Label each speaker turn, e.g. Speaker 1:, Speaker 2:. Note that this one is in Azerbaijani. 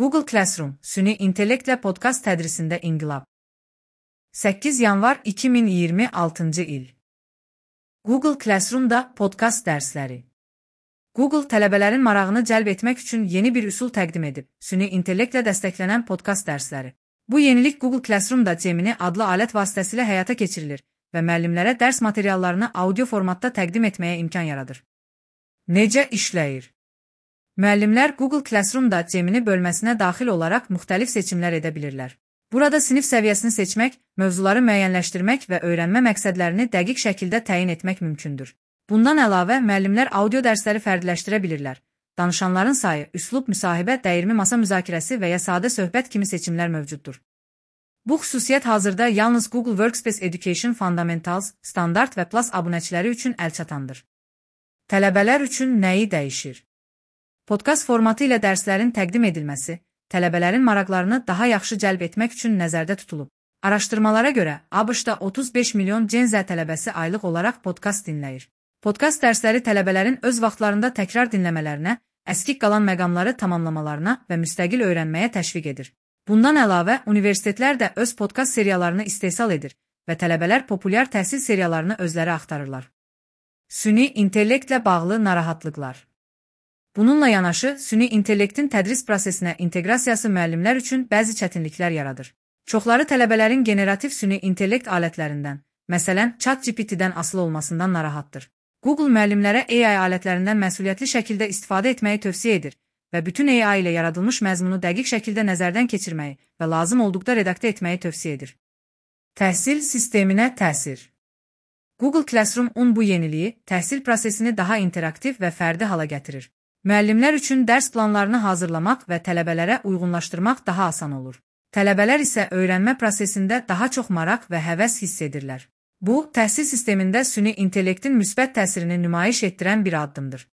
Speaker 1: Google Classroom, süni intellektlə podkast tədrisində inqilab. 8 yanvar 2026 il. Google Classroom'da podkast dərsləri. Google tələbələrin marağını cəlb etmək üçün yeni bir üsul təqdim edib, süni intellektlə dəstəklənən podkast dərsləri. Bu yenilik Google Classroom'da Gemini adlı alət vasitəsilə həyata keçirilir və müəllimlərə dərs materiallarını audio formatda təqdim etməyə imkan yaradır. Necə işləyir? Müəllimlər Google Classroom'da Gemini bölməsinə daxil olaraq müxtəlif seçimlər edə bilirlər. Burada sinif səviyyəsini seçmək, mövzuları müəyyənləşdirmək və öyrənmə məqsədlərini dəqiq şəkildə təyin etmək mümkündür. Bundan əlavə, müəllimlər audio dərsləri fərdiləşdirə bilirlər. Danışanların sayı, üslub, müsahibə, dəyirmi masa müzakirəsi və ya sadə söhbət kimi seçimlər mövcuddur. Bu xüsusiyyət hazırda yalnız Google Workspace Education Fundamentals, Standard və Plus abunəçiləri üçün əlçatandır. Tələbələr üçün nəyi dəyişir? Podkast formatı ilə dərslərin təqdim edilməsi, tələbələrin maraqlarını daha yaxşı cəlb etmək üçün nəzərdə tutulub. Araşdırmalara görə, ABŞ-da 35 milyon Gen Z tələbəsi aylıq olaraq podkast dinləyir. Podkast dərsləri tələbələrin öz vaxtlarında təkrar dinləmələrinə, əskik qalan məqamları tamamlamalarına və müstəqil öyrənməyə təşviq edir. Bundan əlavə, universitetlər də öz podkast seriyalarını istehsal edir və tələbələr populyar təhsil seriyalarını özləri axtarırlar. Süni intellektlə bağlı narahatlıqlar. Bununla yanaşı, süni intellektin tədris prosesinə inteqrasiyası müəllimlər üçün bəzi çətinliklər yaradır. Çoxları tələbələrin generativ süni intellekt alətlərindən, məsələn, ChatGPT-dən asılı olmasından narahatdır. Google müəllimlərə AI alətlərindən məsuliyyətli şəkildə istifadə etməyi tövsiyə edir və bütün AI ilə yaradılmış məzmunu dəqiq şəkildə nəzərdən keçirməyi və lazım olduqda redaktə etməyi tövsiyə edir. Təhsil sisteminə təsir. Google Classroom-un bu yeniliyi təhsil prosesini daha interaktiv və fərdi hala gətirir. Müəllimlər üçün dərs planlarını hazırlamaq və tələbələrə uyğunlaşdırmaq daha asan olur. Tələbələr isə öyrənmə prosesində daha çox maraq və həvəs hiss edirlər. Bu, təhsil sistemində süni intellektin müsbət təsirini nümayiş etdirən bir addımdır.